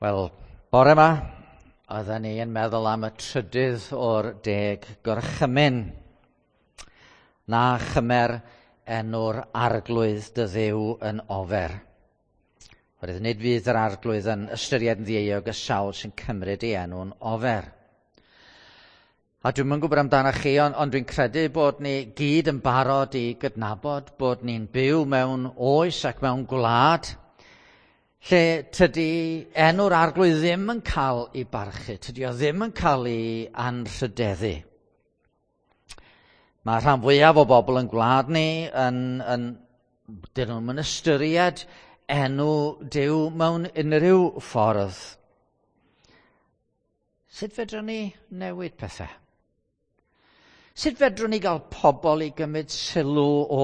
Wel, bore yma, oedden ni yn meddwl am y trydydd o'r 10 gorchymyn. Na chymer enw'r arglwydd dy Dduw yn ofer. Oherwydd nid fydd yr arglwydd yn ystyried yn ddieuog y sawl sy'n cymryd ei enw'n ofer. A dwi'm yn gwybod amdanoch chi, ond dwi'n credu bod ni gyd yn barod i gydnabod bod ni'n byw mewn oes ac mewn gwlad lle tydi enw'r arglwydd ddim yn cael ei barchu, tydi o ddim yn cael ei anrhydeddu. Mae rhan fwyaf o bobl yn gwlad ni dyn nhw'm yn ystyried enw Duw mewn unrhyw ffordd. Sut fedrwn ni newid pethau? Sut fedrwn ni gael pobl i gymryd sylw o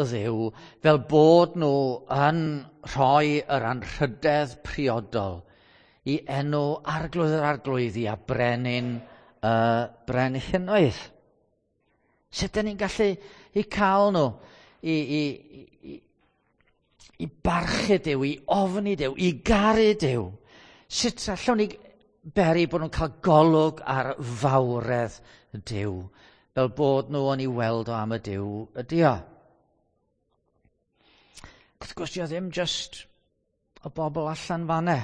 y Dduw fel bod nhw yn rhoi yr anrhydedd priodol i enw arglwydd yr arglwyddi a brenin y brenhinoedd? Sut dyn ni'n gallu i cael nhw i barchu Duw, i ofni Duw, i garu Duw? Sut allwn ni beri bod nhw'n cael golwg ar fawredd Duw, fel bod nhw yn ei weld o am y Duw ydi o? Wrth gwrs, dio ddim just y bobl allan fanne.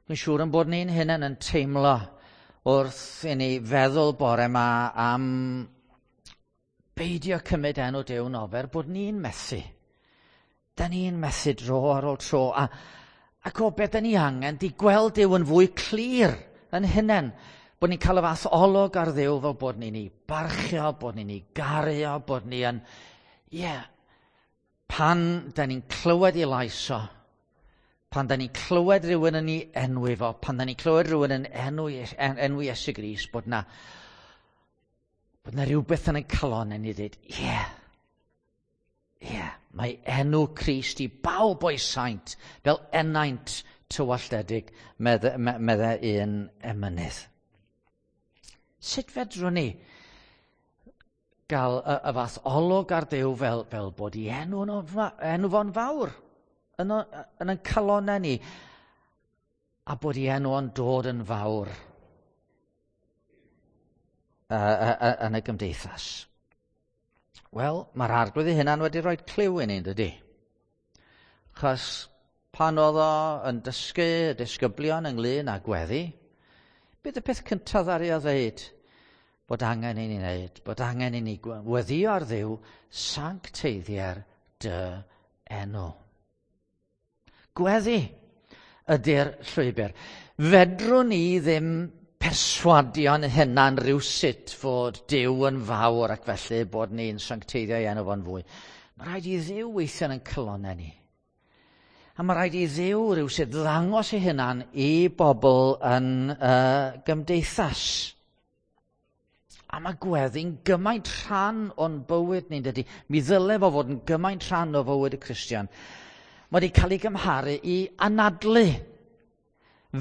Dwi'n siŵr yn bod ni'n hunain yn teimlo wrth i ni feddwl bore yma am beidio cymryd enw Duw'n ofer, bod ni'n methu. Da ni'n methu dro ar ôl tro. Ac o beth da ni angen, di gweld Duw yn fwy clir yn hunain. Bod ni'n cael y fath olwg ar Dduw fel bod ni'n ei barchio, bod ni'n ei gario, bod ni yn... Ie, pan da ni'n clywed ei lais o, pan da ni'n clywed rhywun yn ei enwi fo, pan da ni'n clywed rhywun yn enwi Iesu Grist, bod na rhywbeth yn ein calon yn ei ddweud, ie, ie, mae enw Crist i bawb o'i saint, fel ennaint tywalltedig, medde un emynydd. Sut fedrwn ni gael y fath olwg ar Dduw fel bod ei enw fo'n fawr yn ein calonnau ni, a bod ei enw o'n dod yn fawr yn y gymdeithas? Wel, mae'r arglwydd ei hunan wedi rhoi cliw i ni, dydy? Achos pan oedd o yn dysgu y disgyblion ynglyn â gweddi, bydd y peth cyntaf ddaru o ddeud bod angen i ni wneud, bod angen i ni weddio ar Dduw, sancteiddier dy enw. Gweddi ydy'r llwybr. Fedrwn ni ddim perswadio'n hunan rywsut fod Duw yn fawr ac felly bod ni'n sancteiddio ei enw fo'n fwy. Mae rhaid i Dduw weithio yn ein calonnau ni. A mae rhaid i Dduw rywsut ddangos ei hunan i bobl yn y gymdeithas. A mae gweddi'n gymaint rhan o'n bywyd ni'n dydy. Mi ddyle fo fod yn gymaint rhan o fywyd y Cristion. Mae wedi cael ei gymharu i anadlu.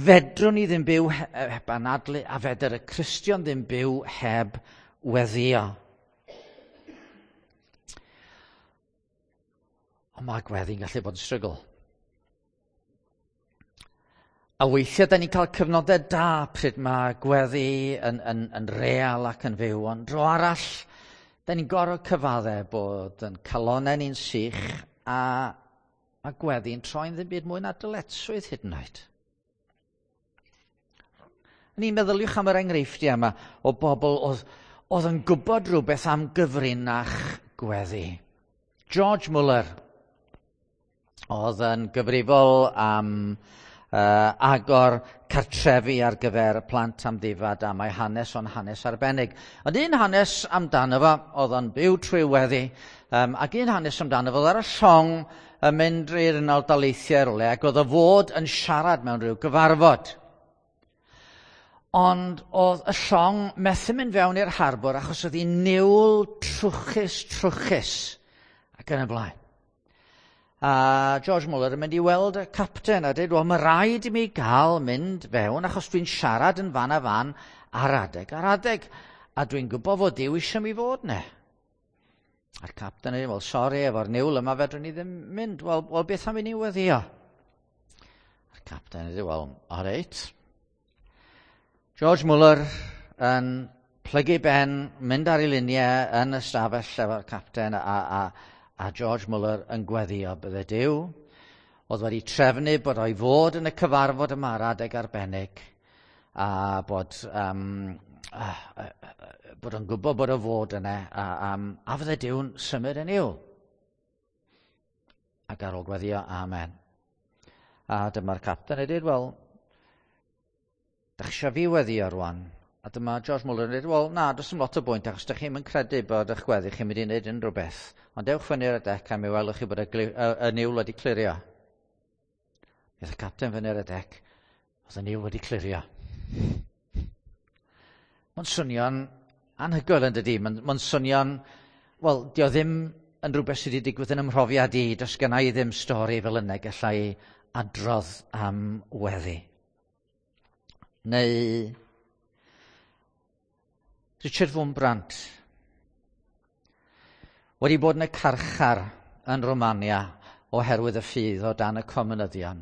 Fedrwn ni ddim byw heb anadlu, a fedr y Cristion ddim byw heb weddio. Ond mae gweddi'n gallu bod yn strygl. A weithiau da ni'n cael cyfnodau da pryd mae gweddi yn real ac yn fyw, ond dro arall, da ni'n gorfod cyfadde bod yn calonnau ni'n sych a mae gweddi'n troi'n ddim byd mwy na dyletswydd hyd yn oed. Ni'n meddyliwch am yr enghreifftiau yma o bobl oedd yn gwybod rhywbeth am gyfrinach gweddi. George Muller oedd yn gyfrifol am agor cartrefi ar gyfer plant amddifad, a mae hanes o'n hanes arbennig. Ond un hanes amdano fo, oedd o'n byw trwy weddi, ac un hanes amdano fo, oedd ar y llong yn mynd i'r Unol Daleithiau rywle, ac oedd o fod yn siarad mewn rhyw gyfarfod. Ond oedd y llong methu mynd fewn i'r harbwr achos oedd hi'n niwl trwchus, trwchus, ac yn y blaen. A George Muller yn mynd i weld y capten a dweud, wel, mae rhaid i mi gael mynd fewn achos dwi'n siarad yn fan a fan ar adeg ar adeg, a dwi'n gwybod fod Duw eisiau mi fod ne. A'r capten yn dweud, wel, sori, efo'r niwl yma fedrwn ni ddim mynd. Wel, beth am i ni weddio? A'r Captain yn dweud, wel, all right. George Muller yn plygu ben, mynd ar ei luniau yn y stafell efo'r capten a George Muller yn gweddio bydde Duw oedd wedi trefnu bod o'i fod yn y cyfarfod yma ar adeg arbennig a bod, bod o'n gwybod bod o fod yna a fydde Duw'n symud yn i'w. Ac ar ôl gweddio, amen. A dyma'r capten yn dweud, wel, dach chi eisiau fi weddio rwan? A dyma George Muller yn dweud, wel, na, does dim lot o bwynt, achos dych chi'n credu bod eich gweddi chi'n mynd i wneud unrhyw beth. Ond dewch fyny ar y dec a mi welwch chi bod y niwl wedi clirio. Aeth y capten fyny ar y dec, oedd y niwl wedi clirio. Mae'n swnio'n anhygoel yn dydi? Mae'n swnio'n, wel, dio ddim yn rhywbeth sydd wedi digwydd yn ymhrofiad i. Does gynna i ddim stori fel yna gallai adrodd am weddi. Neu Richard Wurmbrand wedi bod yn y carchar yn Romania oherwydd y ffydd o dan y comunyddion.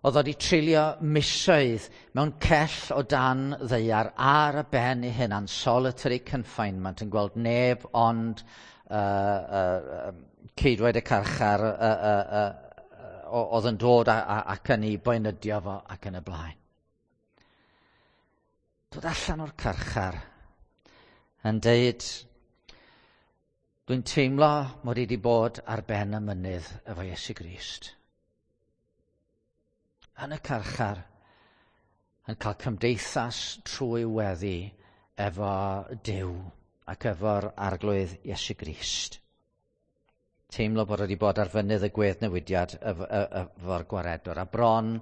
Oedd wedi treulio misoedd mewn cell o dan ddaear ar y ben ei hunan, solitary confinement, yn gweld neb ond ceidwaid y carchar oedd yn dod ac yn ei boenydio fo ac yn y blaen. Dod allan o'r carchar yn deud, dwi'n teimlo mod i wedi bod ar ben y mynydd efo Iesu Grist. Yn y carchar, yn cael cymdeithas trwy weddi efo Duw ac efo'r Arglwydd Iesu Grist. Teimlo bod wedi bod ar fynydd y gweddnewidiad efo'r gwaredwr, a bron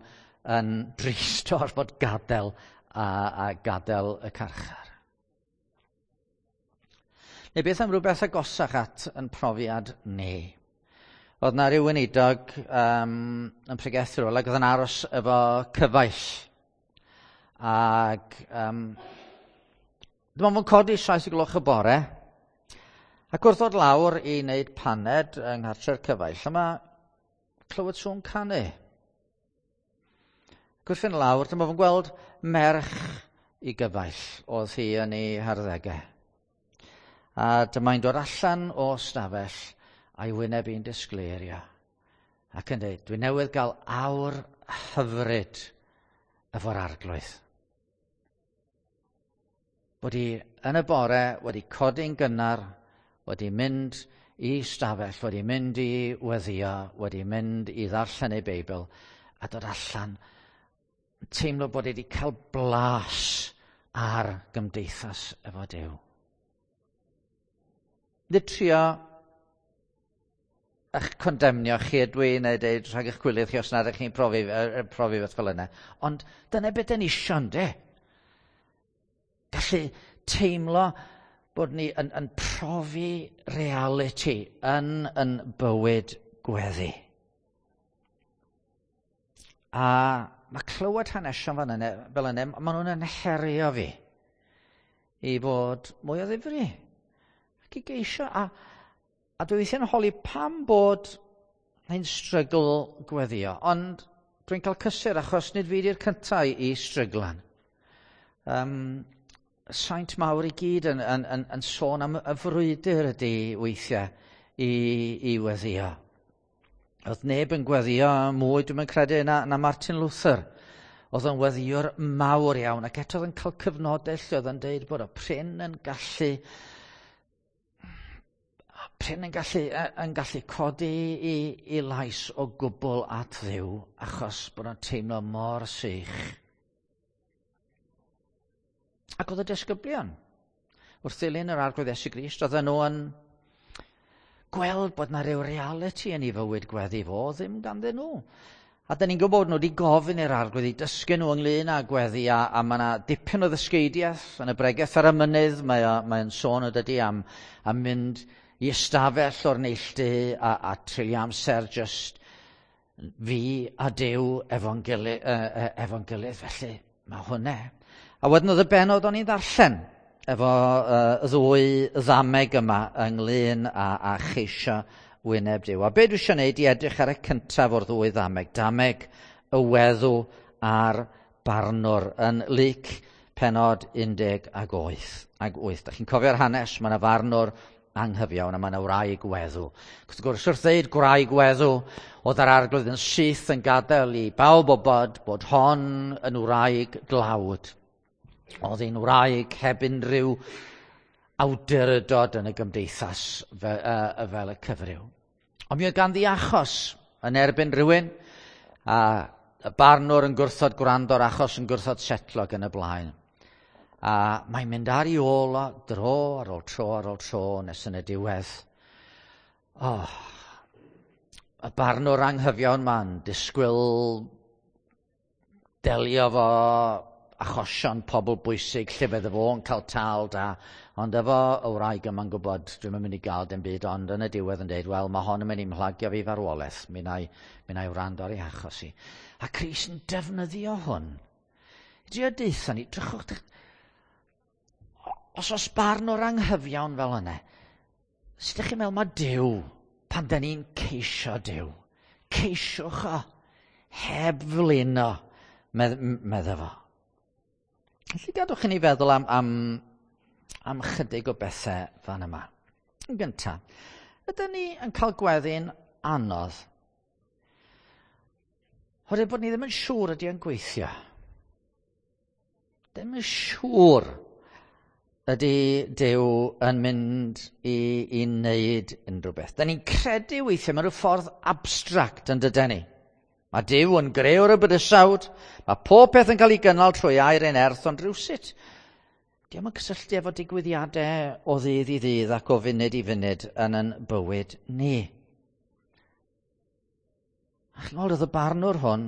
yn drist o'r fod gadael a gadael y carchar. Neu beth am rhywbeth agosach at yn profiad ni? Oedd na ryw weinidog yn pregethu rhywle, ac oedd yn aros efo cyfaill. Ac dyma fo'n codi 7 gloch y bore, ac wrth ddod lawr i wneud paned yng nghartre'r cyfaill, yma clywed sŵn canu. Ac wrth fynd lawr, dyma fo'n gweld merch i gyfaill, oedd hi yn ei harddegau. A dyma'n dod allan o stafell a'i wyneb i'n disgleirio. Ac yn dweud, dwi newydd gael awr hyfryd efo'r Arglwydd. Bod hi yn y bore wedi codi'n gynnar, wedi mynd i stafell, wedi mynd i weddio, wedi mynd i ddarllen ei Beibl, a dod allan, teimlo bod wedi cael blas ar gymdeithas efo Duw. Nid trio eich condemnio chi ydw i, neu deud rhag eich gwyliau chi os nad ydych chi'n profi beth fel yna. Ond dyna beth dyn ni isio, ynde? Gallu teimlo bod ni yn profi reality yn bywyd gweddi. A mae clywed hanesion fel yna, maen nhw'n yn herio fi i fod mwy o ddifri. Ac i geisio, a dwi weithiau'n holi pam bod hi'n strygl gweddio, ond dwi'n cael cysur achos nid fi di'r cyntaf i stryglan. Saint mawr i gyd yn sôn am y frwydr ydy weithiau i weddio. Oedd neb yn gweddio mwy, dwi'n credu, na Martin Luther. Oedd yn weddiwr mawr iawn, ac eto oedd yn cael cyfnodau lle oedd yn deud bod o prin yn gallu codi i lais o gwbl at Dduw, achos bod o'n teimlo mor sych. Ac oedd y disgyblion, wrth ddilyn yr Arglwydd Iesu Grist, oedden nhw yn gweld bod na ryw reality yn ei fywyd gweddi fo, ddim ganddyn nhw. A dyn ni'n gwybod nhw wedi gofyn i'r Arglwydd i dysgu nhw ynglyn â gweddi, a mae yna dipyn o ddysgeidiaeth yn y bregeth ar y mynydd, mae'n sôn o dydy am mynd i ystafell o'r neilltu a treulio amser just fi a Duw efo'n gilydd, felly mae hwnna. A wedyn oedd y bennod o'n i'n ddarllen efo y ddwy ddameg yma ynglyn â cheisio wyneb Duw. A be dwi eisiau gwneud i edrych ar y cyntaf o'r ddwy ddameg, dameg y weddw a'r barnwr yn Luc pennod 18 ag 8. Da chi'n cofio'r hanes, mae yna farnwr anghyfiawn a mae yna wraig weddw. Wrth gwrs, wrth ddeud gwraig weddw, oedd yr arglwydd yn syth yn gadael i bawb wybod bod hon yn wraig glawd. Oedd hi'n wraig heb unrhyw awdurdod yn y gymdeithas fel y cyfryw. Ond mi oedd ganddi achos yn erbyn rhywun, a y barnwr yn gwrthod gwrando'r achos yn gwrthod setlo ac yn y blaen. A mae'n mynd ar ei ôl o dro ar ôl tro ar ôl tro nes yn y diwedd. Oh, y barnwr anghyfiawn ma'n disgwyl delio fo achosion pobl bwysig lle fydde fo'n cael tâl da, ond efo y wraig yma'n gwybod dwi'm yn mynd i gael dim byd, ond yn y diwedd yn deud, wel, mae hon yn mynd i mhlagio fi farwolaeth, mi wna i, mi wna i wrando ar ei achos i. A Crist yn defnyddio hwn. I drio deutha ni, drychwch, os oes barn o'r anghyfiawn fel yna, sut ydych chi'n meddwl mae Duw, pan da ni'n ceisio Duw, ceisiwch o, heb flino, medda fo. Felly gadwch i ni feddwl am, am, am chydig o bethau fan yma. Yn gyntaf, ydyn ni yn cael gweddi'n anodd? Oherwydd bod ni ddim yn siŵr ydy yn gweithio. Ddim yn siŵr ydy Duw yn mynd i, i wneud unrhyw beth. Da ni'n credu weithiau mewn rhyw ffordd abstract yn dydyn ni. Mae Duw yn grëwr y bydysawd, mae pob peth yn cael ei gynnal trwy air ein erth, ond rhywsut, diolch yn cysylltu efo digwyddiadau o ddydd i ddydd ac o funud i funud yn yn bywyd ni. A chi'n gweld, oedd y barnwr hwn,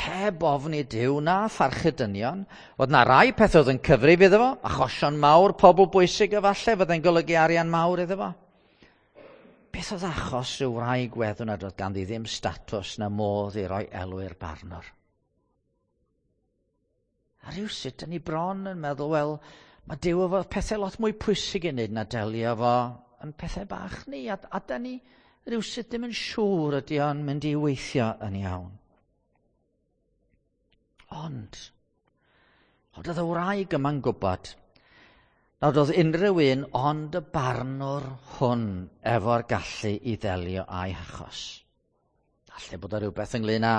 heb ofni Duw na pharchu dynion, oedd na rai pethau oedd yn cyfrif iddo fo, achosion mawr, pobl bwysig efallai, fyddai'n golygu arian mawr iddo fo. Beth oedd achos rhyw wraig weddw nad oedd ganddi ddim statws na modd i roi elw i'r barnwr? A rhywsut, dyn ni bron yn meddwl, wel, mae Duw efo pethau lot mwy pwysig i wneud na delio efo yn pethau bach ni, a, a da ni rhywsut ddim yn siŵr ydy o'n mynd i weithio yn iawn. Ond, oedd y wraig yma'n gwybod nad oedd unrhyw un ond y barnwr hwn efo'r gallu i ddelio â'i hachos. Falle bod o rhywbeth ynglyn â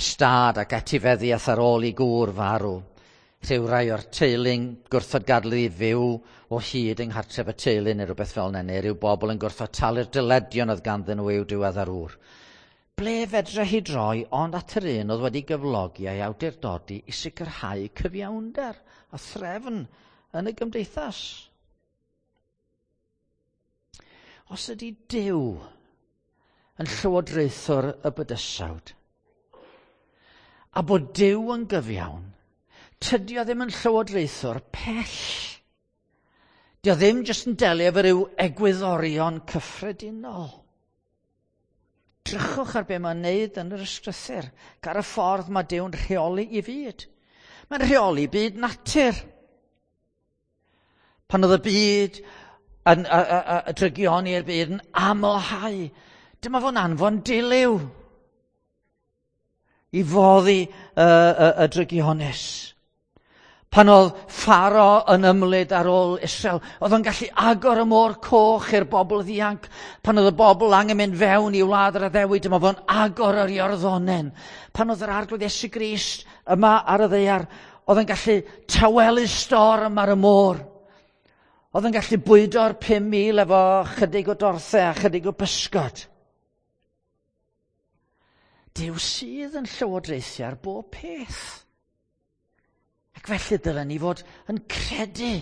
stad ac etifeddiaeth ar ôl i gŵr farw. Rhyw rai o'r teulu'n gwrthod gadael i fyw o hyd yng nghartref y teulu neu rhywbeth fel yna, neu rhyw bobl yn gwrthod talu'r dyledion oedd ganddyn nhw i'w diweddar ŵr. Ble fedre hi droi ond at yr un oedd wedi gyflogi a'i awdurdodi i sicrhau cyfiawnder a threfn yn y gymdeithas? Os ydy Duw yn llywodraethwr y bydysawd, a bod Duw yn gyfiawn, tydi o ddim yn llywodraethwr pell. Dio ddim jyst yn delio efo ryw egwyddorion cyffredinol. Drychwch ar be mae'n neud yn yr ysgrythur, ar y ffordd mae Duw'n rheoli i fyd. Mae'n rheoli byd natur. Pan oedd y byd yn y drygioni i'r byd yn amlhau, dyma fo'n anfon dilyw i foddi y, y, y drygionus. Pan oedd Pharo yn ymlid ar ôl Israel, oedd o'n gallu agor y môr coch i'r bobl ddianc. Pan oedd y bobl angen mynd fewn i wlad yr addewid, dyma fo'n agor yr Iorddonen. Pan oedd yr arglwydd Iesu Grist yma ar y ddaear, oedd o'n gallu tawelu storm ar y môr. Oedd yn gallu bwydo'r 5,000 efo chydig o dorthau a chydig o bysgod. Duw sydd yn llywodraethu ar bob peth. Ac felly dylen ni fod yn credu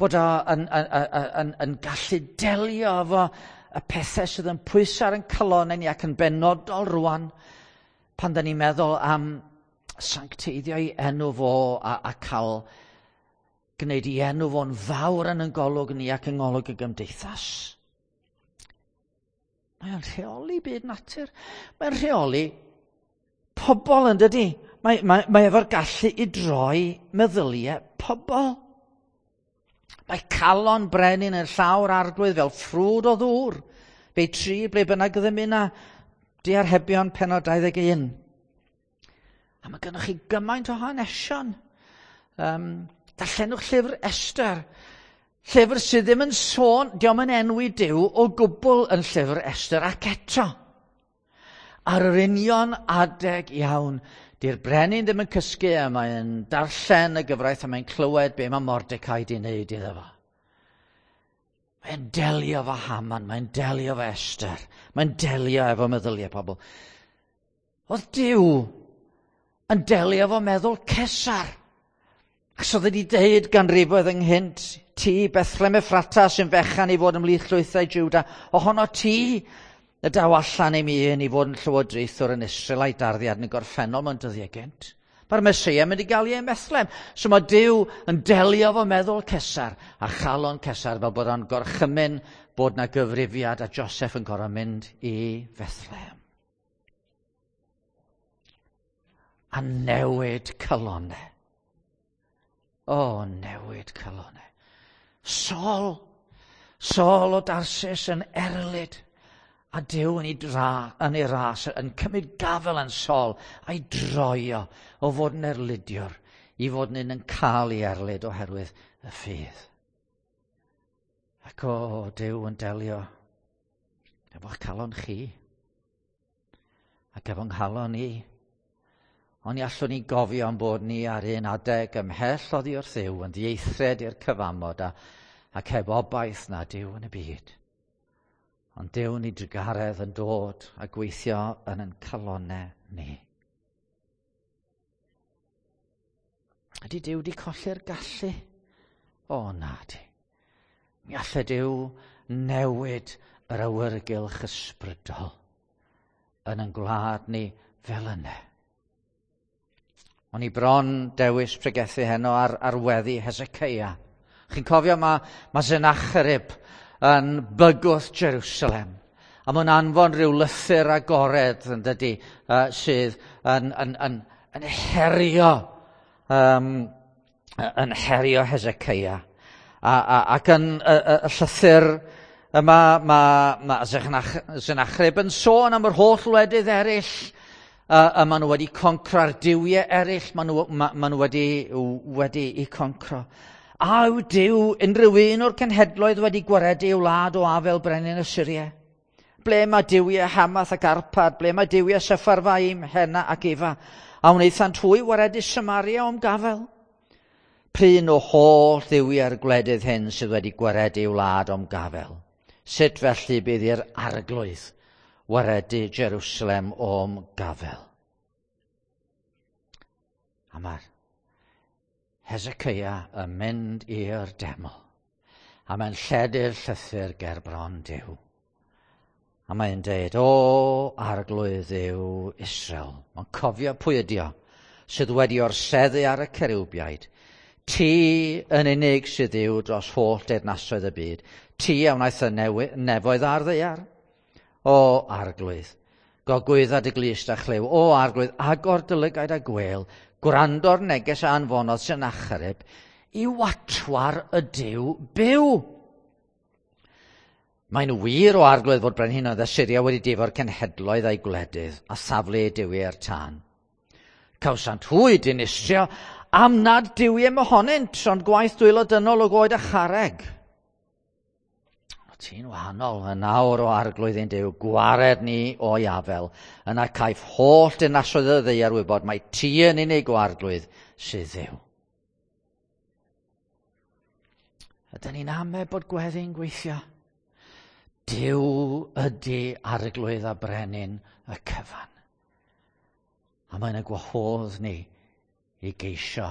bod o yn, yn, yn, yn, yn gallu delio efo y pethau sydd yn pwyso ar ein calonnau ni ac yn benodol rwan pan da ni'n meddwl am sancteiddio ei enw fo a, a cael gwneud i enw fo'n fawr yn ein golwg ni ac yng ngolwg y gymdeithas. Mae o'n rheoli byd natur. Mae'n rheoli pobl yn dydi. Mae, mae, mae efo'r gallu i droi meddyliau pobl. Mae calon brenin yn llawr arglwydd fel ffrwd o ddŵr. Fe tri ble bynnag ddymuna. Diarhebion penod 21. A mae gennych chi gymaint o hanesion. Darllenwch llyfr Esther. Llyfr sydd ddim yn sôn, diolch yn enwi Duw o gwbl yn llyfr Esther ac eto. Ar yr union adeg iawn, di'r brenin ddim yn cysgu a mae'n darllen y gyfraith a mae'n clywed be mae Mordecai di wneud iddo fo. Mae'n delio efo Haman, mae'n delio efo Esther, mae'n delio efo meddyliau pobl. Oedd Duw yn delio efo meddwl Cesar. Ac oedd wedi deud ganrifoedd ynghynt, ti Bethlehem Ephrata sy'n fechan i fod ymhlith llwythau Juda, ohono ti y daw allan i mi un i fod yn llywodraethwr yn Israel a'i darddiad yn y gorffennol mewn dyddiau gynt. Mae'r Meseia mynd i gael ei ym Bethlehem. So mae Duw yn delio efo meddwl Cesar a chalon Cesar fel bod o'n gorchymyn bod na gyfrifiad a Joseph yn gorfod mynd i Fethlehem. A newid calonau. O, newid calonau. Saul, Saul o Darsis yn erlid a Duw yn ei, dra, yn ei ras, yn cymryd gafel yn Saul a'i droio o fod yn erlidiwr i fod yn un yn cael ei erlid oherwydd y ffydd. Ac o, Duw yn delio efo'ch calon chi ac efo'n nghalon i. Ond ni allwn ni gofio am bod ni ar un adeg ymhell oddi wrth Dduw yn ddieithred i'r cyfamod a, ac heb obaith na Duw yn y byd. Ond Duw ni drugaredd yn dod a gweithio yn ein calonau ni. Ydy Duw wedi colli'r gallu? O, na di. Mi allai Duw newid yr awyrgylch ysbrydol yn ein gwlad ni fel yna. O'n i bron dewis pregethu heno ar, ar weddi Hezekiah. Chi'n cofio mae, mae Sennacherib yn bygwth Jerusalem. A mae'n anfon rhyw lythyr agored yn dydy, sydd yn, yn, yn, yn herio yn herio Hezekiah. A, a, ac yn y, y, y llythyr yma mae, mae Sennacherib yn sôn am yr holl wledydd eraill a maen nhw wedi concro'r duwiau eraill, maen nhw, ma, ma nhw wedi, wedi i concro. A yw Duw unrhyw un o'r cenhedloedd wedi gwaredu ei wlad o afel brenin Assyria? Ble mae duwiau Hamath ac Arpad? Ble mae duwiau Sepharfaim, Hena ac Ifa? A wnaethant hwy waredu Samaria o'm gafel? Pryn o holl dduwiau'r gwledydd hyn sydd wedi gwaredu ei wlad o'm gafel? Sut felly bydd i'r arglwydd waredu Jerusalem o'm gafel? A mae'r Hezekiah yn mynd i'r deml. A mae'n lledu'r llythyr ger bron Duw. A mae'n deud, o arglwydd Dduw Israel. Mae'n cofio pwy ydi o, sydd wedi orseddu ar y cerubiaid. Ti yn unig sydd Dduw dros holl deyrnasoedd y byd. Ti a wnaeth y nefoedd a'r ddaear. O arglwydd, gogwydda dy glust a chlyw. O arglwydd, agor dy lygaid a gwel. Gwrando'r neges a anfonodd Sennacherib i watwar y Duw byw. Mae'n wir o arglwydd fod brenhinoedd Assyria wedi difo'r cenhedloedd a'i gwledydd a thaflu eu duwiau i'r tân. Cawsant hwy dinistrio am nad duwiau mohonynt, ond gwaith dwylo dynol o goed a charreg. O, ti'n wahanol yn awr o arglwydd ein Duw, gwared ni o'i afel. Yna caiff holl dinasoedd y ddaear wybod mai ti yn unig o arglwydd sydd Dduw. Ydyn ni'n ame bod gweddi'n gweithio? Duw ydy arglwydd a brenin y cyfan. A mae'n y gwahodd ni i geisio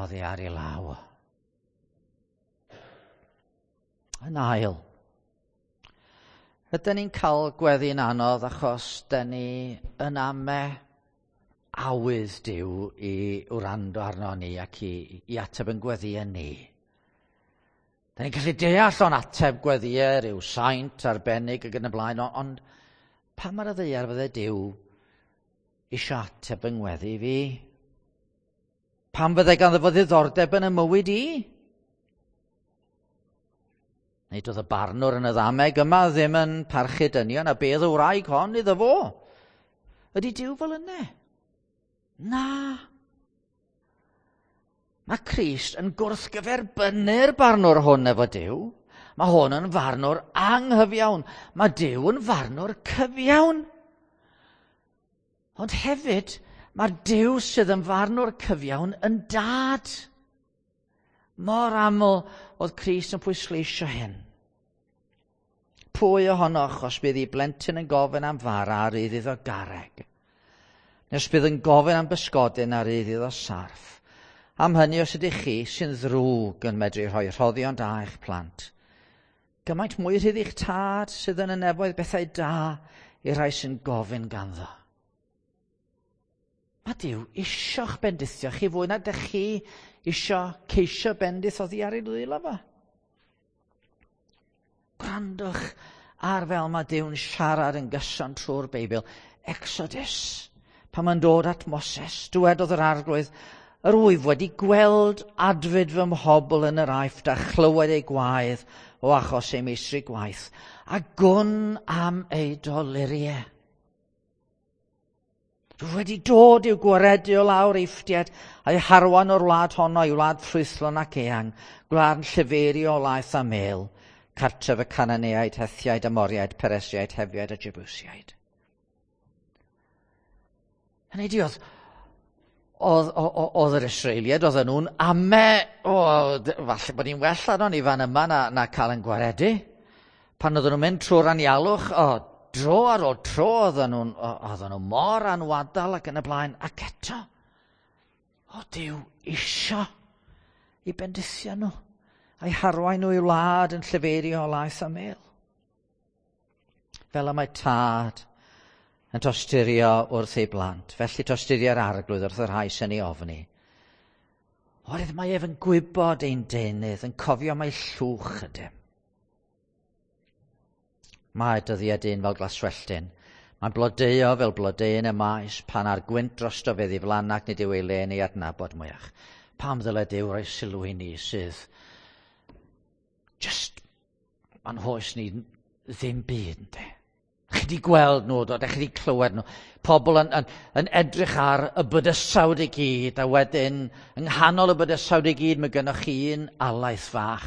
oddi ar ei law. Yn ail, ydyn ni'n cael gweddi'n anodd achos dyn ni yn ame awydd Duw i wrando arno ni ac i, i ateb yn gweddïau ni. Da ni'n gallu deall o'n ateb gweddïau rhyw saint arbennig ac yn y blaen, ond pa mae'r ddaear fydde Duw eisiau ateb yng ngweddi fi? Pam fydde ganddo fo ddiddordeb yn y mywyd i? Neu doedd y barnwr yn y ddameg yma ddim yn parchu dynion a bedd y wraig hon iddo fo. Ydy Duw fel yna? Na. Mae Crist yn gwrthgyferbynnu'r barnwr hwn efo Duw. Mae hwn yn farnwr anghyfiawn. Mae Duw yn farnwr cyfiawn. Ond hefyd, mae'r Duw sydd yn farnwr cyfiawn yn dad. Mor aml oedd Crist yn pwysleisio hyn. Pwy ohonoch os bydd ei blentyn yn gofyn am fara a rydd iddo garreg? Neu os bydd yn gofyn am bysgodyn a rydd iddo sarff? Am hynny os ydych chi sy'n ddrwg yn medru rhoi rhoddion da i'ch plant, gymaint mwy rhydd i'ch tad sydd yn y nefoedd bethau da i'r rhai sy'n gofyn ganddo. Mae Duw isio'ch bendithio chi fwy na dych chi isio ceisio bendith oddi ar ei ddwylo fo. Gwrandwch ar fel mae Duw'n siarad yn gyson trwy'r Beibl. Exodus, pan mae'n dod at Moses, dywedodd yr Arglwydd, yr wyf wedi gweld adfyd fy mhobl yn yr Aifft a chlywed eu gwaedd o achos eu meistri gwaith, a gwn am eu doluriau. Rwyf wedi dod i'w gwaredu o lawr Eifftiaid a'u harwain o'r wlad honno i wlad ffrwythlon ac eang, gwlad yn llifeirio o laeth a mêl, cartref y Cananeaid, Hethiaid, Amoriaid, Peresiaid, Hefiaid a Jebusiaid. Hynny ydi, oedd, oedd, oedd yr Israeliaid, oedden nhw'n ame, o, falle bod ni'n well arnon ni fan yma na, na cael yn gwaredu. Pan oedden nhw'n mynd trwy'r anialwch, o, dro ar ôl tro oedden nhw'n oedden nhw mor anwadal ac yn y blaen, ac eto, o Duw isio i bendithio nhw, a'i harwain nhw i wlad yn llefeirio o laeth a mêl. Fel y mae tad yn tosturio wrth ei blant, felly tosturio'r Arglwydd wrth y rhai sy'n ei ofni. Oherwydd mae ef yn gwybod ein deunydd, yn cofio mai llwch ydym. Mae dyddiau dyn fel glaswelltyn. Mae'n blodeuo fel blodeuyn y maes, pan ar gwynt drosto fe ddiflanna ac nid yw ei le'n ei adnabod mwyach. Pam ddyle Duw roi sylw i ni sydd just, mae'n hoes ni ddim byd, ynddo. Chi wedi gweld nhw, do, chi wedi clywed nhw. Pobl yn, yn, yn edrych ar y bydysawd i gyd, a wedyn, yng nghanol y bydysawd i gyd, mae gennych chi un alaeth fach.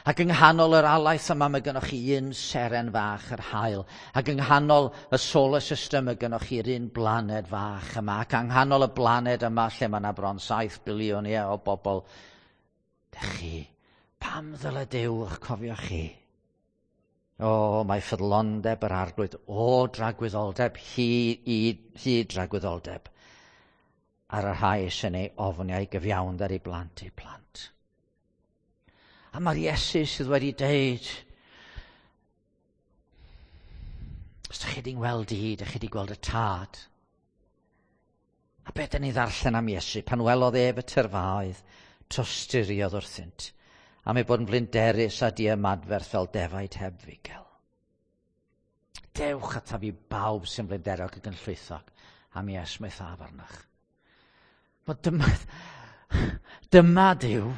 Ac yng nghanol yr alaeth yma, mae gennych chi un seren fach, yr haul. Ac yng nghanol y solar system, mae gennych chi'r un blaned fach yma. Ac yng nghanol y blaned yma, lle mae yna bron 7 biliwn ie, o bobl, dych chi, pam ddyle Duw eich cofio chi? O, mae ffyddlondeb yr Arglwydd, o dragwyddoldeb, hi i hyd dragwyddoldeb, ar y rhai sy'n ei ofni a'i gyfiawnder i blant eu plant. A mae'r Iesu sydd wedi deud, os ydych chi wedi gweld i, ydych chi wedi gweld y tad. A beth dyn ni ddarllen am Iesu, pan welodd ef y tyrfaoedd, tosturiodd wrthynt, am ei bod yn flinderus a diymadferth fel defaid heb fugel. Dewch ataf i bawb sy'n flinderog ac yn llwythog, a mi esmwythaf arnoch. Wel, dyma, dyma Duw.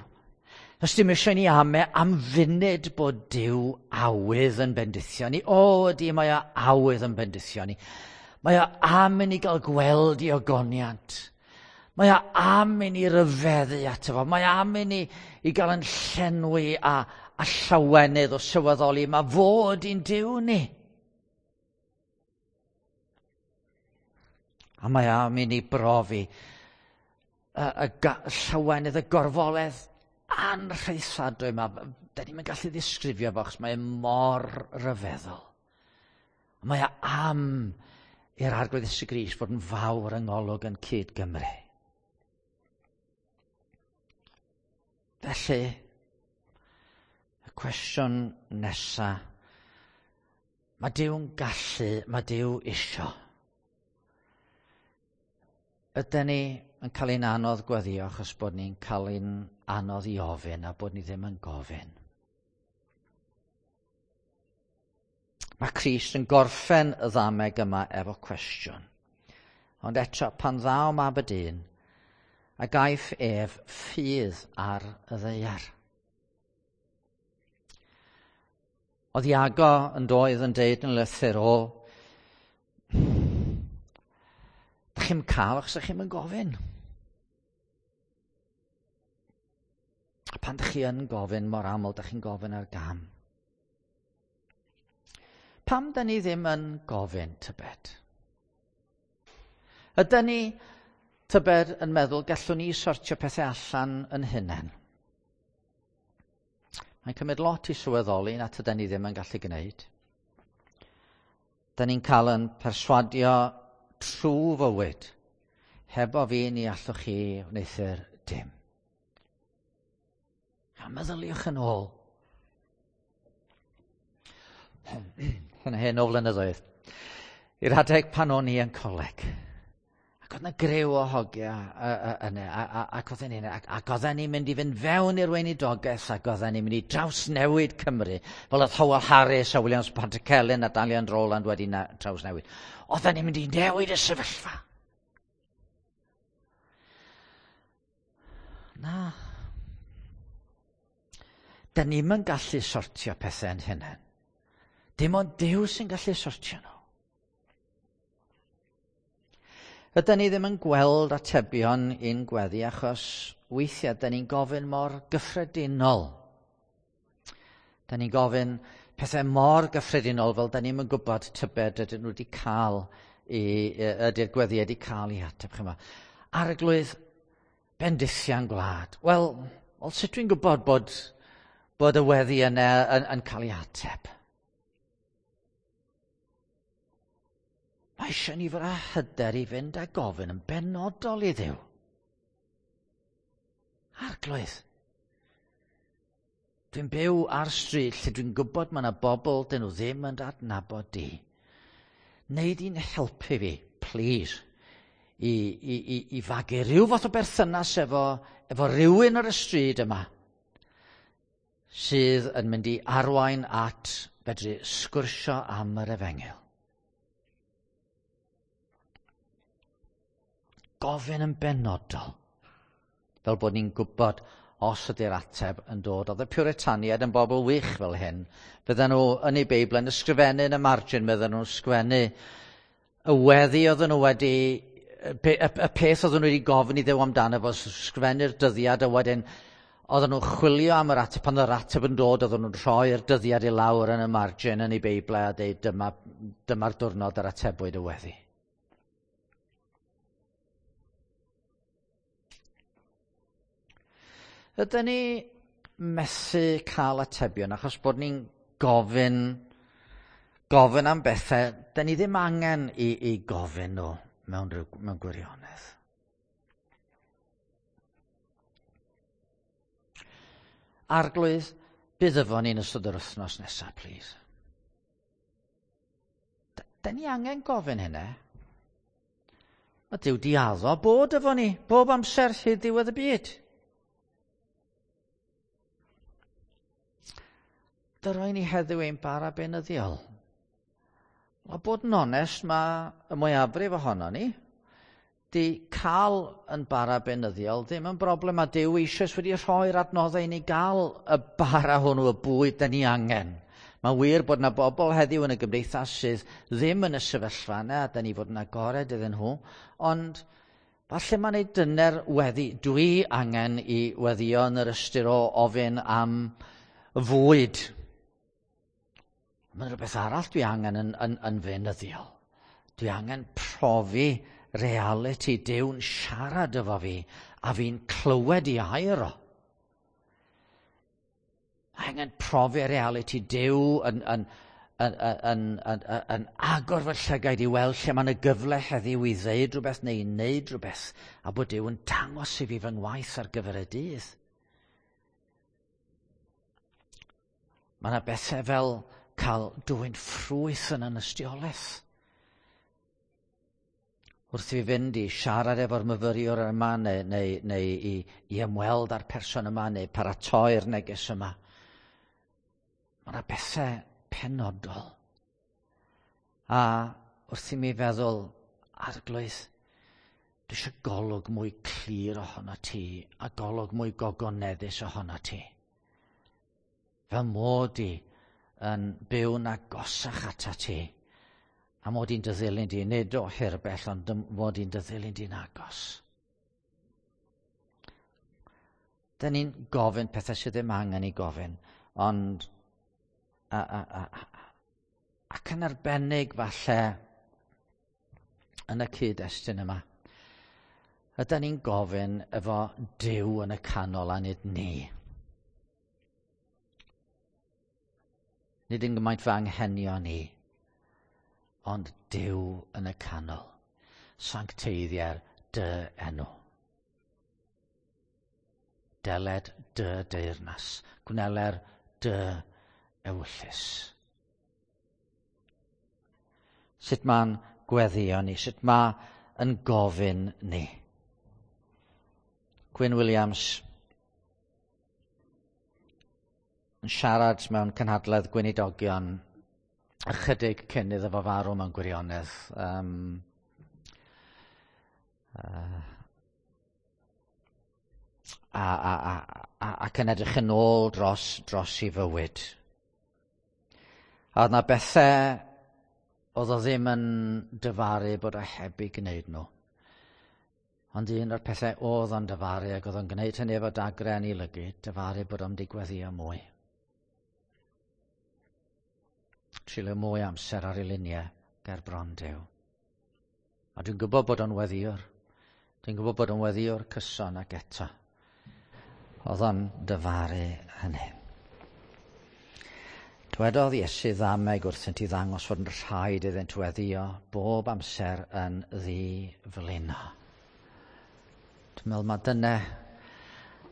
Os dim eisiau ni ame am funud bod Duw awydd yn bendithio ni. O, ydy, mae o awydd yn bendithio ni. Mae o am i ni gael gweld i ogoniant. Mae o am i ni ryfeddu ato fo. Mae am i ni i gael yn llenwi a, a llawenydd o sylweddoli. Mae fod i'n Duw ni. A mae am i ni brofi y, y, y llawenydd, y gorfoledd anrhaethadwy yma. Da ni'n gallu ddisgrifio fo, achos mae e mor ryfeddol. Mae o am i'r Arglwydd Iesu Grist fod yn fawr yng ngolwg yn cyd Gymru. Felly, y cwestiwn nesa, mae Duw'n gallu, mae Duw isio. Ydyn ni yn cael ein anodd gweddio achos bod ni'n cael ein anodd i ofyn a bod ni ddim yn gofyn? Mae Crist yn gorffen y ddameg yma efo cwestiwn. Ond eto, pan ddaw mab y dyn, a gaiff ef ffydd ar y ddaear. Oedd Iago yn doedd yn deud yn lythyr o, Dych chi'n cael achos ydych chi'n gofyn. A pan dych chi yn gofyn mor aml, dych chi'n gofyn ar gam. Pam da ni ddim yn gofyn, tybed? Ydy ni, tybed, yn meddwl gallwn ni sortio pethau allan yn hunain? Mae'n cymryd lot i sylweddoli na tydan ni ddim yn gallu gwneud. Da ni'n cael yn perswadio trwy fywyd. Hebo fi ni allwch chi wneuthur dim. A meddyliwch yn ôl. Yn hen o flynyddoedd. I'r adeg pan o'n i yn coleg. Ac oedd yna grew o hogia yna, ac oedden ni'n ac oedden ni'n mynd i fynd fewn i'r weinidogaeth, ac oedden ni'n mynd i drawsnewid Cymru, fel oedd Howell Harris a Williams Pantycelyn a Dalian Rowland wedi trawsnewid. Oedden ni'n mynd i newid y sefyllfa. Na. Da ni'm yn gallu sortio pethau yn hunain. Dim ond Duw sy'n gallu sortio nhw. Ydy ni ddim yn gweld atebion i'n gweddi achos weithiau da ni'n gofyn mor gyffredinol. Da ni'n gofyn pethau mor gyffredinol fel da ni'n yn gwybod tybed ydyn nhw wedi cael i, ydy'r gweddi wedi cael ei ateb. Chyma. Arglwydd, bendithian gwlad. Wel, wel, sut dwi'n gwybod bod, bod y weddi yna yn, yn cael ei ateb? Mae eisiau ni fod â hyder i fynd a gofyn yn benodol i Dduw. Arglwydd, dwi'n byw ar stryd lle dwi'n gwybod mae yna bobl dyn nhw ddim yn adnabod di. Neu di'n helpu fi, please, i, i, i, i fagu rhyw fath o berthynas efo, efo rhywun ar y stryd yma sydd yn mynd i arwain at fedru sgwrsio am yr efengyl. Gofyn yn benodol, fel bod ni'n gwybod os ydy'r ateb yn dod. Oedd y Puritaniaid yn bobl wych fel hyn. Fydden nhw yn eu Beibl yn ysgrifennu yn y margin, fydden nhw'n sgwennu y weddi oedden nhw wedi, y, y peth oedden nhw wedi gofyn i Dduw amdano fo, sgrifennu'r dyddiad a wedyn oedden nhw'n chwilio am yr ateb, pan oedd yr ateb yn dod, oedden nhw'n rhoi'r dyddiad i lawr yn y margin yn eu Beibl a dweud dyma, dyma'r diwrnod yr atebwyd y weddi. Ydyn ni methu cael atebion achos bod ni'n gofyn, gofyn am bethau, dyn ni ddim angen i, i gofyn nhw mewn, mewn gwirionedd. Arglwydd, bydd efo ni'n ystod yr wythnos nesaf, please. Da ni angen gofyn hynna. Mae Duw di addo bod efo ni bob amser hyd ddiwedd y byd. Dyroi ni heddiw ein bara beunyddiol. A bod yn onest, mae y mwyafrif ohono ni di cael yn bara beunyddiol ddim yn broblem, a Duw eisoes wedi rhoi'r adnoddau i ni gael y bara hwnnw, y bwyd da ni angen. Mae'n wir bod yna bobl heddiw yn y gymdeithas sydd ddim yn y sefyllfa yna, a da ni fod yn agored iddyn nhw, ond falle mae'n ei dyner weddi. Dwi angen i weddio yn yr ystyr o ofyn am fwyd. Mae'n rhywbeth arall dwi angen yn, yn, yn feunyddiol. Dwi angen profi reality Duw'n siarad efo fi a fi'n clywed i air o. Mae angen profi reality Duw yn, yn, yn, yn, yn, yn, yn agor fy llygaid i weld lle mae yna gyfle heddiw i ddeud rhywbeth neu i wneud rhywbeth a bod Duw yn dangos i fi fy ngwaith ar gyfer y dydd. Mae yna bethau fel cael dwyn ffrwyth yn ynystiolaeth. Wrth i fi fynd i siarad efo'r myfyriwr yma neu, neu, neu i, i ymweld â'r person yma neu paratoi'r neges yma. Mae yna bethau penodol. A wrth i mi feddwl, arglwydd, dwi eisiau golwg mwy clir ohono ti a golwg mwy gogoneddus ohono ti. Fel mod i yn byw'n agosach ata ti A mod i'n dy ddilyn di, nid o hirbell, ond mod i'n dy ddilyn di'n agos. Dyn ni'n gofyn pethau sydd ddim angen i gofyn, ond ac yn arbennig falle yn y cyd-destun yma, ydyn ni'n gofyn efo Duw yn y canol a nid ni. Nid yn gymaint fy anghenion ni, ond Duw yn y canol. Sancteiddier dy enw. Deled dy deyrnas. Gwneler dy ewyllys. Sut mae'n gweddio ni? Sut mae yn gofyn ni? Gwyn Williams yn siarad mewn cynhadledd gweinidogion ychydig cyn iddo fo farw mewn gwirionedd. Ac yn edrych yn ôl dros i fywyd. A oedd 'na bethau oedd o ddim yn dyfaru bod o heb eu gwneud nhw. Ond un o'r pethau oedd o'n dyfaru, ac oedd o'n gwneud hynny efo dagrau yn ei lygyd, dyfaru bod o'n digweddio mwy. Treulio mwy amser ar ei luniau ger bron Duw. A dwi'n gwybod bod o'n weddiwr. Dwi'n gwybod bod o'n weddiwr cyson ac eto. Oedd o'n dyfaru hynny. Dwedodd Iesu ddameg wrthynt i ddangos fod yn rhaid iddynt weddio bob amser yn ddi-flino. Dwi'n meddwl mae dyna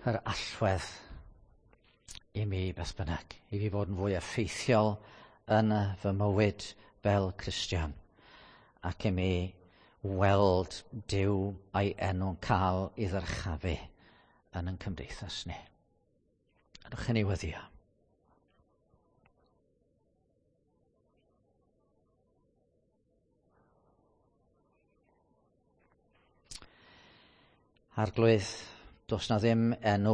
yr allwedd i mi beth bynnag, i fi fod yn fwy effeithiol yn fy mywyd fel Cristion, ac i mi weld Duw a'i enw'n cael ei ddyrchafu yn ein cymdeithas ni. Ydych chi'n ei weddio? Arglwydd, does na ddim enw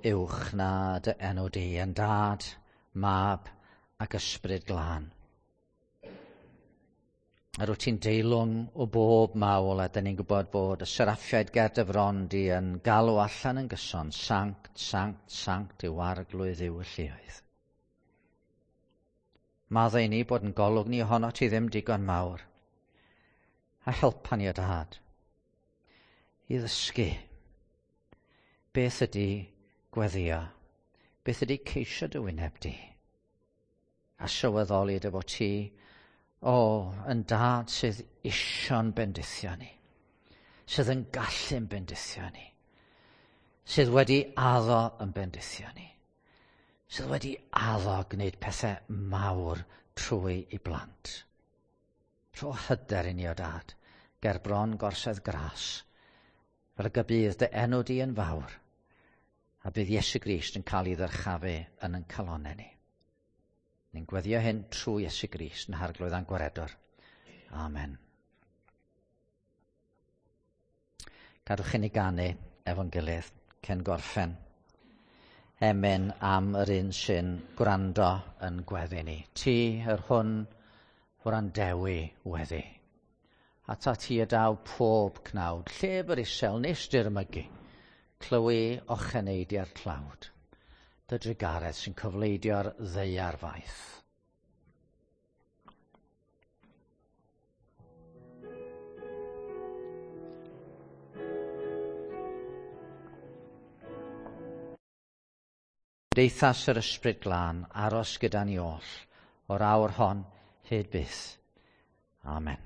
uwch na dy enw di, yn Dad, Mab ac Ysbryd Glân. Yr wyt ti'n deilwng o bob mawl, a dyn ni'n gwybod bod y seraffiaid ger dy fron di yn galw allan yn gyson, sanct, sanct, sanct yw Arglwydd yw y lluoedd. Maddau ni bod yn golwg ni ohono ti ddim digon mawr, a helpa ni o Dad i ddysgu beth ydy gweddio, beth ydy ceisio dy wyneb di, a sylweddoli dy fod ti, yn Dad sydd isio'n bendithio ni, sydd yn gallu'n bendithio ni, sydd wedi addo yn bendithio ni, sydd wedi addo gwneud pethau mawr trwy i blant. Rho hyder i ni o Dad, ger bron gorsedd gras, fel y bydd dy enw di yn fawr, a bydd Iesu Grist yn cael ei ddyrchafu yn ein calonnau ni. Ni'n gweddio hyn trwy Iesu Grist yn Harglwydd a'n Gwaredwr. Amen. Gadwch i ni ganu efo'n gilydd cyn gorffen. Emyn am yr un sy'n gwrando yn gweddi ni. Ti yr hwn wrandewi weddi. Ata ti y daw pob cnawd, llef yr isel nes dirmygu, clywi ocheneidiau'r tlawd, dy drugaredd sy'n cyfleidio'r ddaear faith. Cymdeithas yr Ysbryd Glân, aros gyda ni oll, o'r awr hon hyd byth. Amen.